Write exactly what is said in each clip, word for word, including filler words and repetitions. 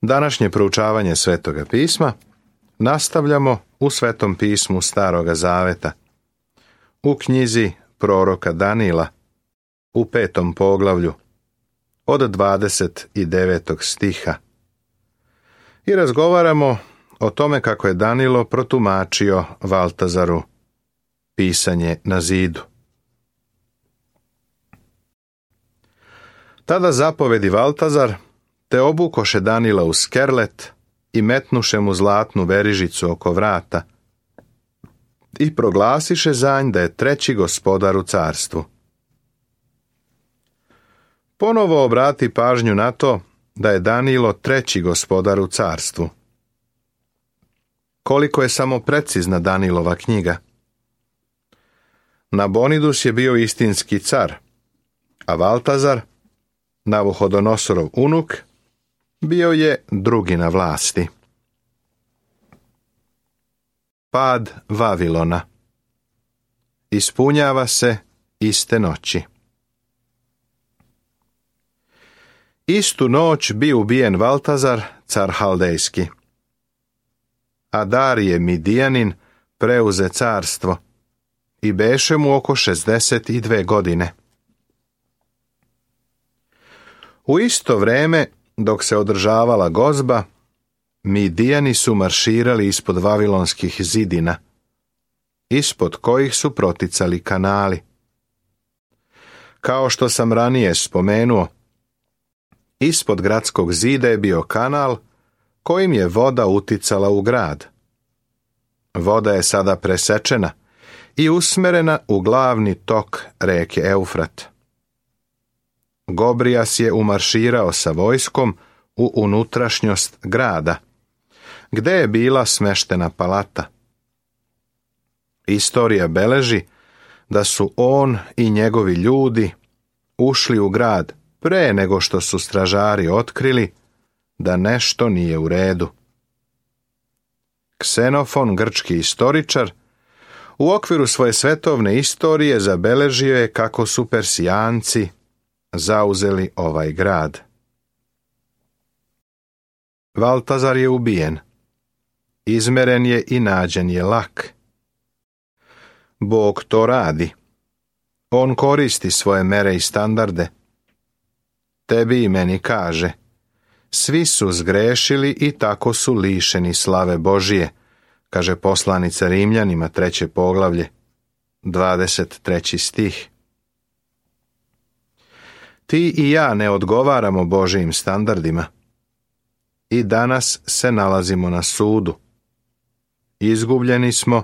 Današnje proučavanje Svetoga pisma nastavljamo u Svetom pismu Staroga Zaveta, u knjizi proroka Danila, u petom poglavlju, od dvadeset devetog stiha. I razgovaramo o tome kako je Danilo protumačio Valtazaru pisanje na zidu. Tada zapovedi Valtazar, te obukoše Danila u skerlet i metnuše mu zlatnu verižicu oko vrata i proglasiše za nj da je treći gospodar u carstvu. Ponovo obrati pažnju na to da je Danilo treći gospodar u carstvu. Koliko je samo precizna Danilova knjiga. Nabonidus je bio istinski car, a Valtazar, Navuhodonosorov unuk, bio je drugi na vlasti. Pad Vavilona. Ispunjava se iste noći. Istu noć bi ubijen Valtazar, car Haldejski. A Darije Midijanin preuze carstvo i beše mu oko šezdeset dve godine. U isto vreme, dok se održavala gozba, Midijani su marširali ispod vavilonskih zidina, ispod kojih su proticali kanali. Kao što sam ranije spomenuo, ispod gradskog zida je bio kanal kojim je voda uticala u grad. Voda je sada presečena i usmerena u glavni tok reke Eufrat. Gobrijas je umarširao sa vojskom u unutrašnjost grada, gde je bila smeštena palata. Istorija beleži da su on i njegovi ljudi ušli u grad pre nego što su stražari otkrili da nešto nije u redu. Ksenofon, grčki istoričar, u okviru svoje svetovne istorije zabeležio je kako su Persijanci zauzeli ovaj grad. Valtazar je ubijen. Izmeren je i nađen je lak. Bog to radi. On koristi svoje mere i standarde. Tebi i meni kaže, svi su zgrešili i tako su lišeni slave Božije, kaže poslanica Rimljanima, treće poglavlje, dvadeset treći stih. Ti i ja ne odgovaramo Božijim standardima. I danas se nalazimo na sudu. Izgubljeni smo,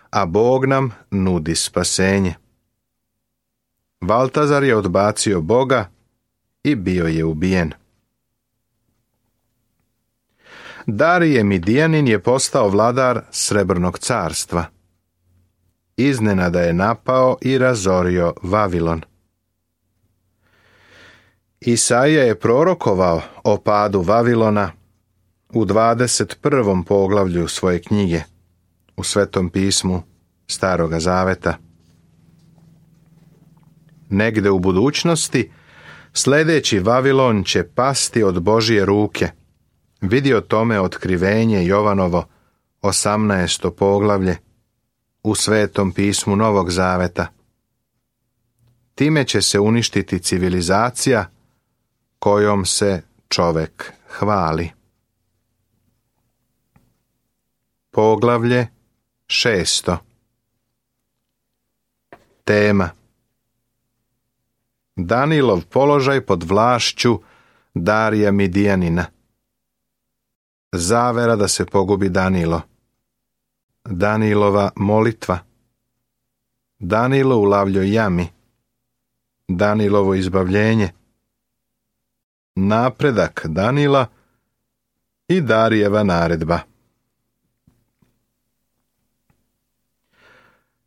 a Bog nam nudi spasenje. Valtazar je odbacio Boga i bio je ubijen. Darije Midijanin je postao vladar Srebrnog carstva. Iznenada je napao i razorio Vavilon. Isaija je prorokovao o padu Vavilona u dvadeset prvom poglavlju svoje knjige, u Svetom pismu Staroga Zaveta. Negde u budućnosti, sljedeći Vavilon će pasti od Božije ruke. Vidi o tome otkrivenje Jovanovo, osamnaesto poglavlje, u Svetom pismu Novog Zaveta. Time će se uništiti civilizacija kojom se čovek hvali. Poglavlje šesto. Tema: Danilov položaj pod vlašću Darija Midijanina. Zavera da se pogubi Danilo. Danilova molitva. Danilo u lavljoj jami. Danilovo izbavljenje. Napredak Danila i Darijeva naredba.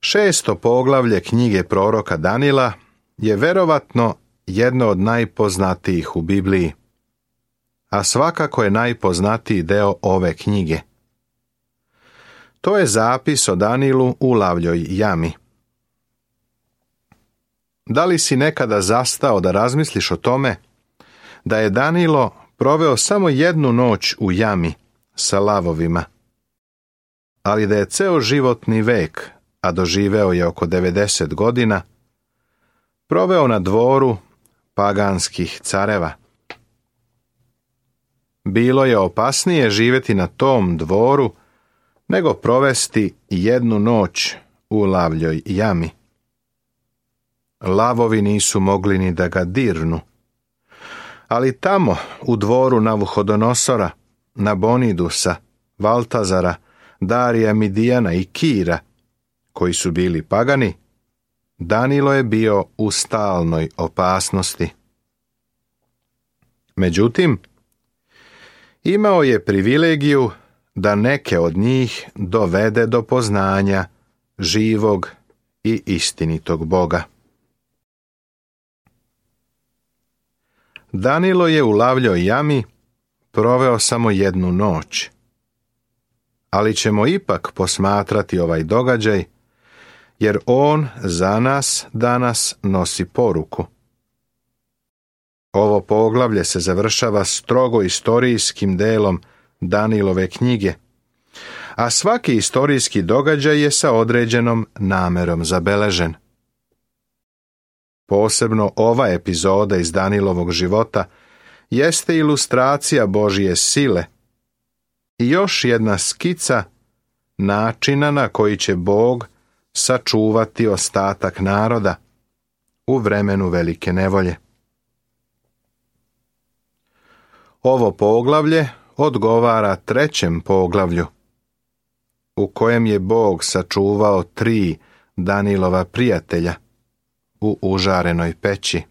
Šesto poglavlje knjige proroka Danila je verovatno jedno od najpoznatijih u Bibliji, a svakako je najpoznatiji deo ove knjige. To je zapis o Danilu u lavljoj jami. Da li si nekada zastao da razmisliš o tome da je Danilo proveo samo jednu noć u jami sa lavovima, ali da je ceo životni vek, a doživeo je oko devedeset godina, proveo na dvoru paganskih careva. Bilo je opasnije živjeti na tom dvoru nego provesti jednu noć u lavljoj jami. Lavovi nisu mogli ni da ga dirnu, ali tamo u dvoru Navuhodonosora, Nabonidusa, Valtazara, Darija Midijana i Kira, koji su bili pagani, Danilo je bio u stalnoj opasnosti. Međutim, imao je privilegiju da neke od njih dovede do poznanja živog i istinitog Boga. Danilo je u lavljoj jami proveo samo jednu noć, ali ćemo ipak posmatrati ovaj događaj, jer on za nas danas nosi poruku. Ovo poglavlje se završava strogo istorijskim delom Danilove knjige, a svaki istorijski događaj je sa određenom namerom zabeležen. Posebno ova epizoda iz Danilovog života jeste ilustracija Božje sile i još jedna skica načina na koji će Bog sačuvati ostatak naroda u vremenu velike nevolje. Ovo poglavlje odgovara trećem poglavlju, u kojem je Bog sačuvao tri Danilova prijatelja u užarenoj peći.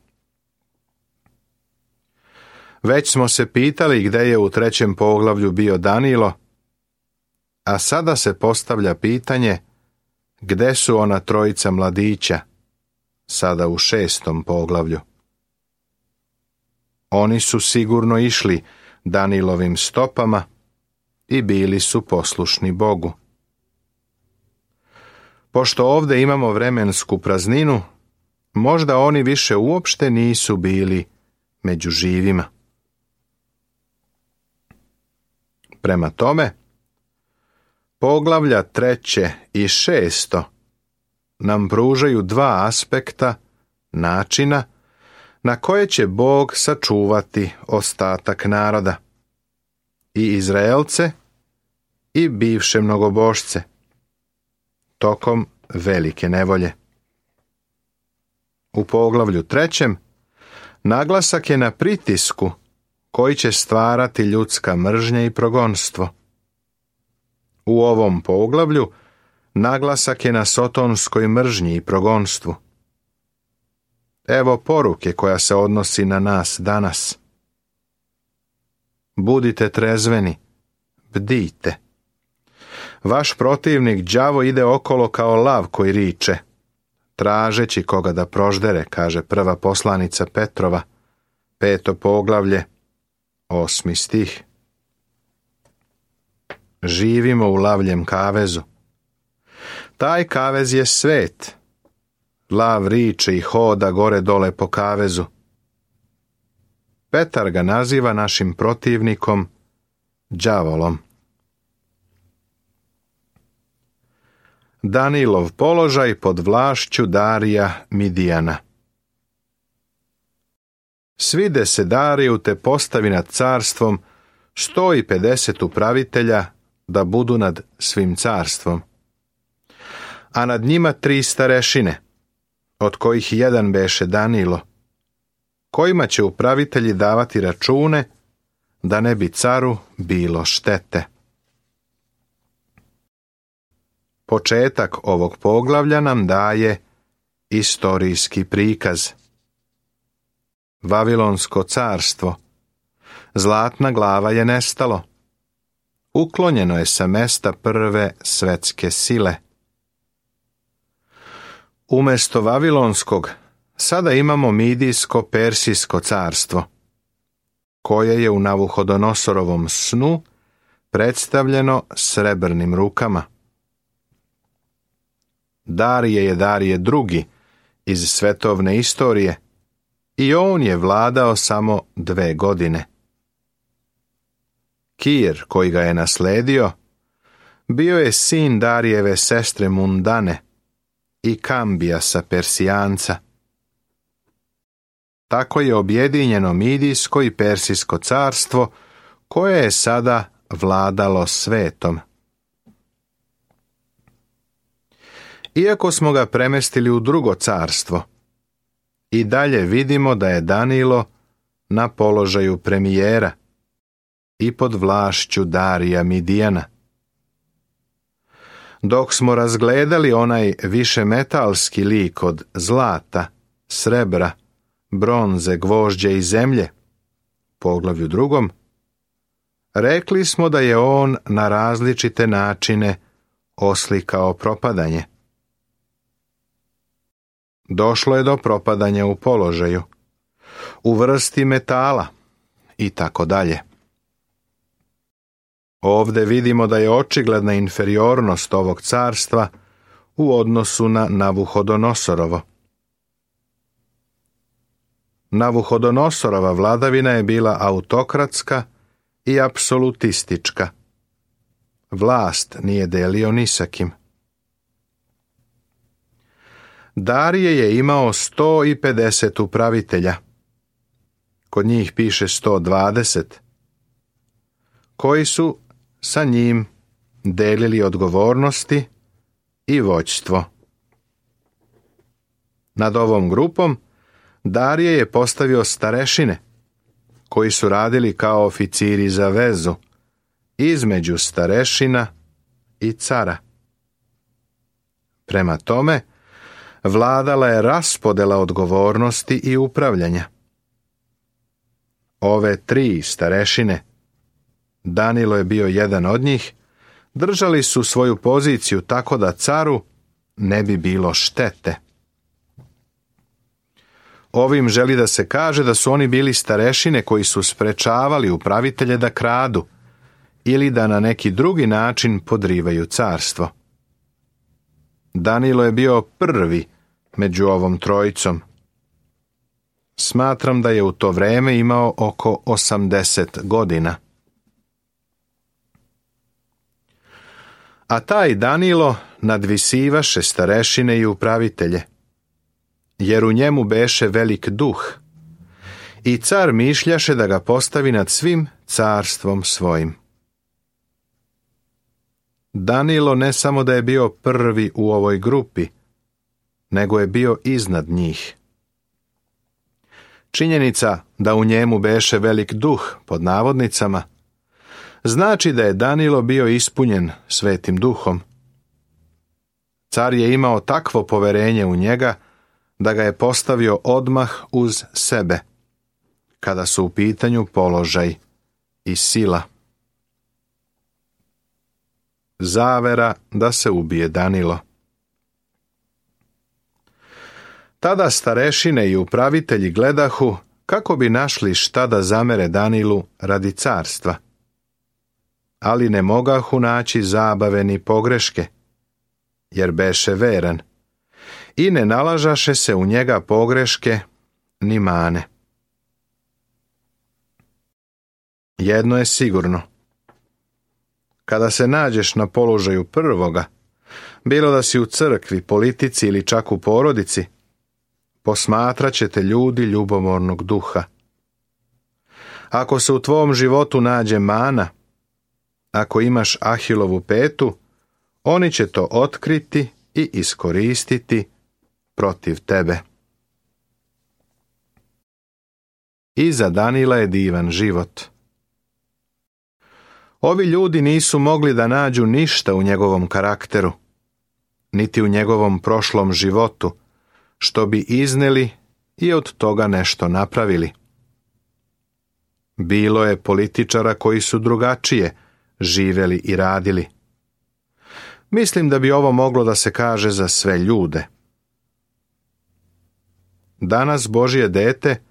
Već smo se pitali gde je u trećem poglavlju bio Danilo, a sada se postavlja pitanje gde su ona trojica mladića, sada u šestom poglavlju. Oni su sigurno išli Danilovim stopama i bili su poslušni Bogu. Pošto ovdje imamo vremensku prazninu, možda oni više uopšte nisu bili među živima. Prema tome, poglavlja treće i šesto nam pružaju dva aspekta načina na koje će Bog sačuvati ostatak naroda, i Izraelce i bivše mnogobošce, tokom velike nevolje. U poglavlju trećem naglasak je na pritisku koji će stvarati ljudska mržnja i progonstvo. U ovom poglavlju naglasak je na sotonskoj mržnji i progonstvu. Evo poruke koja se odnosi na nas danas. Budite trezveni, bdijte. Vaš protivnik đavo ide okolo kao lav koji riče, tražeći koga da proždere, kaže prva poslanica Petrova, peto poglavlje, osmi stih. Živimo u lavljem kavezu. Taj kavez je svet. Lav riče i hoda gore dole po kavezu. Petar ga naziva našim protivnikom đavolom. Danilov položaj pod vlašću Darija Midijana. Svide se Dariju te postavi nad carstvom sto i pedeset upravitelja da budu nad svim carstvom, a nad njima tri starešine, od kojih jedan beše Danilo, kojima će upravitelji davati račune da ne bi caru bilo štete. Početak ovog poglavlja nam daje istorijski prikaz. Vavilonsko carstvo, zlatna glava je nestalo. Uklonjeno je sa mesta prve svetske sile. Umesto Vavilonskog, sada imamo Midijsko-Persijsko carstvo, koje je u Navuhodonosorovom snu predstavljeno srebrnim rukama. Darije je Darije drugi iz svetovne istorije i on je vladao samo dve godine. Kir, koji ga je nasledio, bio je sin Darijeve sestre Mundane i Kambijasa Persijanca. Tako je objedinjeno Midijsko i Persijsko carstvo, koje je sada vladalo svetom. Iako smo ga premestili u drugo carstvo, i dalje vidimo da je Danilo na položaju premijera i pod vlašću Darija Midijana. Dok smo razgledali onaj višemetalski lik od zlata, srebra, bronze, gvožđa i zemlje, poglavlju drugom, rekli smo da je on na različite načine oslikao propadanje. Došlo je do propadanja u položaju, u vrsti metala i tako dalje. Ovdje vidimo da je očigledna inferiornost ovog carstva u odnosu na Navuhodonosorovo. Navuhodonosorova vladavina je bila autokratska i apsolutistička. Vlast nije delio ni sa kim. Darije je imao sto i pedeset upravitelja. Kod njih piše sto dvadeset, koji su sa njim delili odgovornosti i vođstvo. Nad ovom grupom Darije je postavio starešine, koji su radili kao oficiri za vezu između starešina i cara. Prema tome, vladala je raspodela odgovornosti i upravljanja. Ove tri starešine, Danilo je bio jedan od njih, držali su svoju poziciju tako da caru ne bi bilo štete. Ovim želi da se kaže da su oni bili starešine koji su sprečavali upravitelje da kradu ili da na neki drugi način podrivaju carstvo. Danilo je bio prvi među ovom trojicom. Smatram da je u to vreme imao oko osamdeset godina. A taj Danilo nadvisivaše starešine i upravitelje, jer u njemu beše velik duh, i car mišljaše da ga postavi nad svim carstvom svojim. Danilo ne samo da je bio prvi u ovoj grupi, nego je bio iznad njih. Činjenica da u njemu beše velik duh, pod navodnicama, znači da je Danilo bio ispunjen Svetim Duhom. Car je imao takvo poverenje u njega da ga je postavio odmah uz sebe, kada su u pitanju položaj i sila. Zavera da se ubije Danilo. Tada starešine i upravitelji gledahu kako bi našli šta da zamere Danilu radi carstva. Ali ne mogahu naći zabave ni pogreške, jer beše veran, i ne nalažaše se u njega pogreške ni mane. Jedno je sigurno. Kada se nađeš na položaju prvoga, bilo da si u crkvi, politici ili čak u porodici, posmatrat će te ljudi ljubomornog duha. Ako se u tvom životu nađe mana, ako imaš Ahilovu petu, oni će to otkriti i iskoristiti protiv tebe. Iza Danila je divan život. Ovi ljudi nisu mogli da nađu ništa u njegovom karakteru, niti u njegovom prošlom životu, što bi izneli i od toga nešto napravili. Bilo je političara koji su drugačije živeli i radili. Mislim da bi ovo moglo da se kaže za sve ljude. Danas Božje dete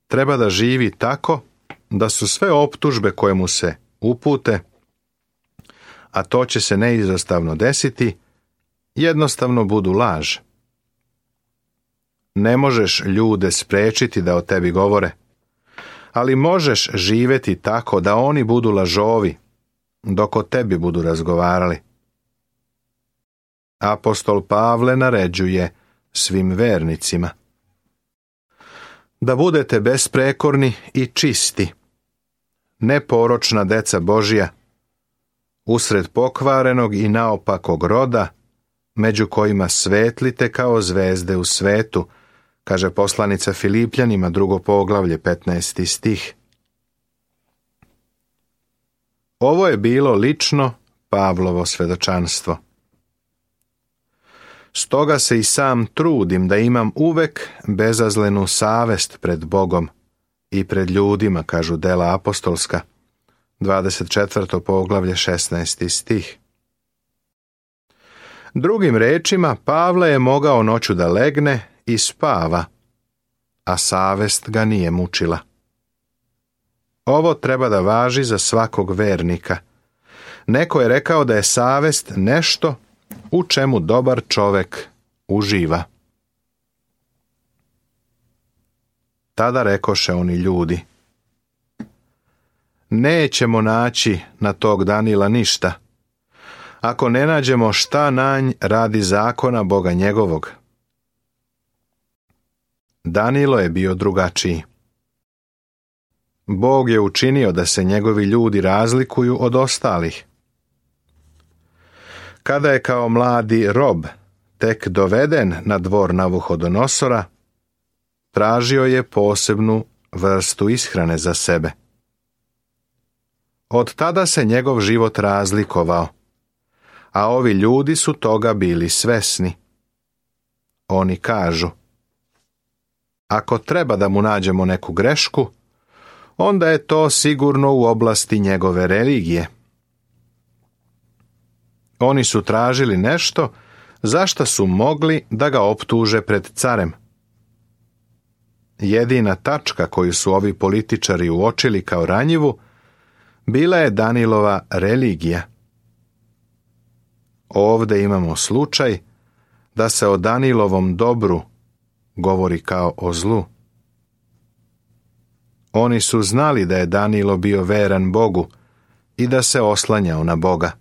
treba da živi tako da su sve optužbe koje mu se upute, a to će se neizostavno desiti, jednostavno budu laž. Ne možeš ljude sprečiti da o tebi govore, ali možeš živjeti tako da oni budu lažovi, dok o tebi budu razgovarali. Apostol Pavle naređuje svim vernicima da budete besprekorni i čisti, neporočna deca Božja, usred pokvarenog i naopakog roda, među kojima svetlite kao zvezde u svetu, kaže poslanica Filipljanima, drugo poglavlje, petnaesti stih. Ovo je bilo lično Pavlovo svedočanstvo. Stoga se i sam trudim da imam uvek bezazlenu savest pred Bogom i pred ljudima, kažu dela apostolska, dvadeset četvrto poglavlje, šesnaesti stih. Drugim rečima, Pavle je mogao noću da legne i spava, a savest ga nije mučila. Ovo treba da važi za svakog vernika. Neko je rekao da je savest nešto u čemu dobar čovek uživa. Tada rekoše oni ljudi: nećemo naći na tog Danila ništa, ako ne nađemo šta nanj radi zakona Boga njegovog. Danilo je bio drugačiji. Bog je učinio da se njegovi ljudi razlikuju od ostalih. Kada je kao mladi rob tek doveden na dvor Navuhodonosora, tražio je posebnu vrstu ishrane za sebe. Od tada se njegov život razlikovao, a ovi ljudi su toga bili svesni. Oni kažu: ako treba da mu nađemo neku grešku, onda je to sigurno u oblasti njegove religije. Oni su tražili nešto za što su mogli da ga optuže pred carem. Jedina tačka koju su ovi političari uočili kao ranjivu bila je Danilova religija. Ovde imamo slučaj da se o Danilovom dobru govori kao o zlu. Oni su znali da je Danilo bio veran Bogu i da se oslanjao na Boga.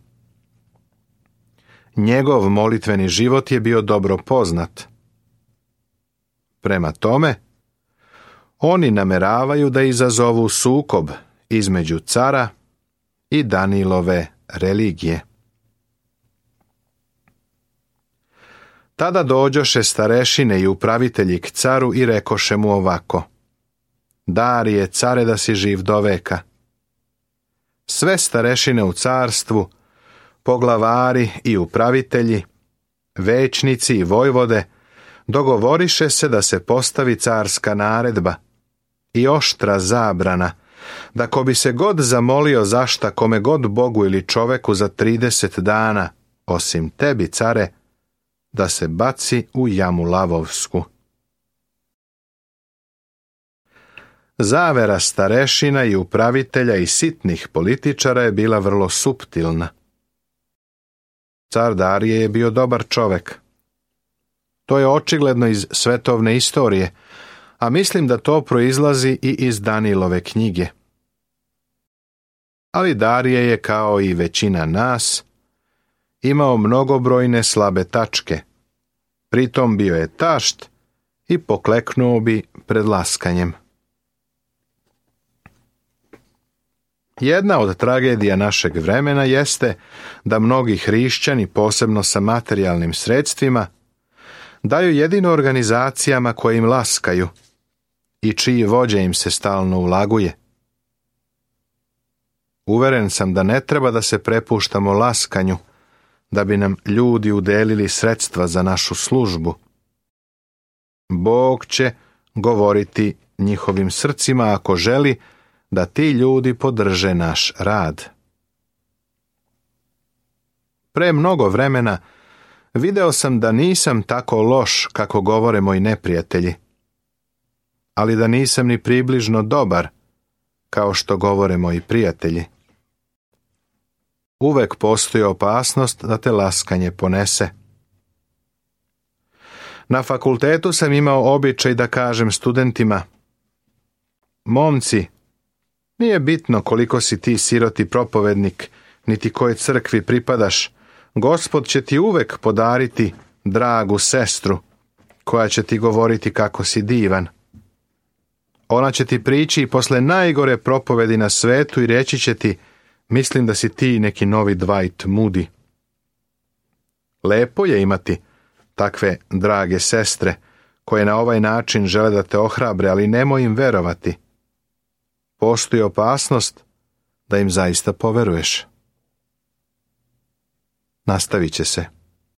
Njegov molitveni život je bio dobro poznat. Prema tome, oni nameravaju da izazovu sukob između cara i Danilove religije. Tada dođoše starešine i upravitelji k caru i rekoše mu ovako: Darije, care, da si živ do veka. Sve starešine u carstvu, poglavari i upravitelji, većnici i vojvode, dogovoriše se da se postavi carska naredba i oštra zabrana, da ko bi se god zamolio zašta kome god Bogu ili čoveku za trideset dana, osim tebi, care, da se baci u jamu lavovsku. Zavera starešina i upravitelja i sitnih političara je bila vrlo suptilna. Car Darije je bio dobar čovek. To je očigledno iz svetovne istorije, a mislim da to proizlazi i iz Danilove knjige. Ali Darije je, kao i većina nas, imao mnogobrojne slabe tačke. Pritom bio je tašt i pokleknuo bi pred laskanjem. Jedna od tragedija našeg vremena jeste da mnogi hrišćani, posebno sa materijalnim sredstvima, daju jedino organizacijama koje im laskaju i čiji vođa im se stalno ulaguje. Uveren sam da ne treba da se prepuštamo laskanju, da bi nam ljudi udelili sredstva za našu službu. Bog će govoriti njihovim srcima ako želi da ti ljudi podrže naš rad. Pre mnogo vremena video sam da nisam tako loš kako govore moji neprijatelji, ali da nisam ni približno dobar kao što govore moji prijatelji. Uvek postoji opasnost da te laskanje ponese. Na fakultetu sam imao običaj da kažem studentima: momci, Nije bitno koliko si ti siroti propovednik, niti kojoj crkvi pripadaš. Gospod će ti uvek podariti dragu sestru, koja će ti govoriti kako si divan. Ona će ti prići i posle najgore propovedi na svetu i reći će ti, mislim da si ti neki novi Dwight Moody. Lepo je imati takve drage sestre, koje na ovaj način žele da te ohrabre, ali nemoj im verovati. Postoji opasnost da im zaista poveruješ. Nastavit će se.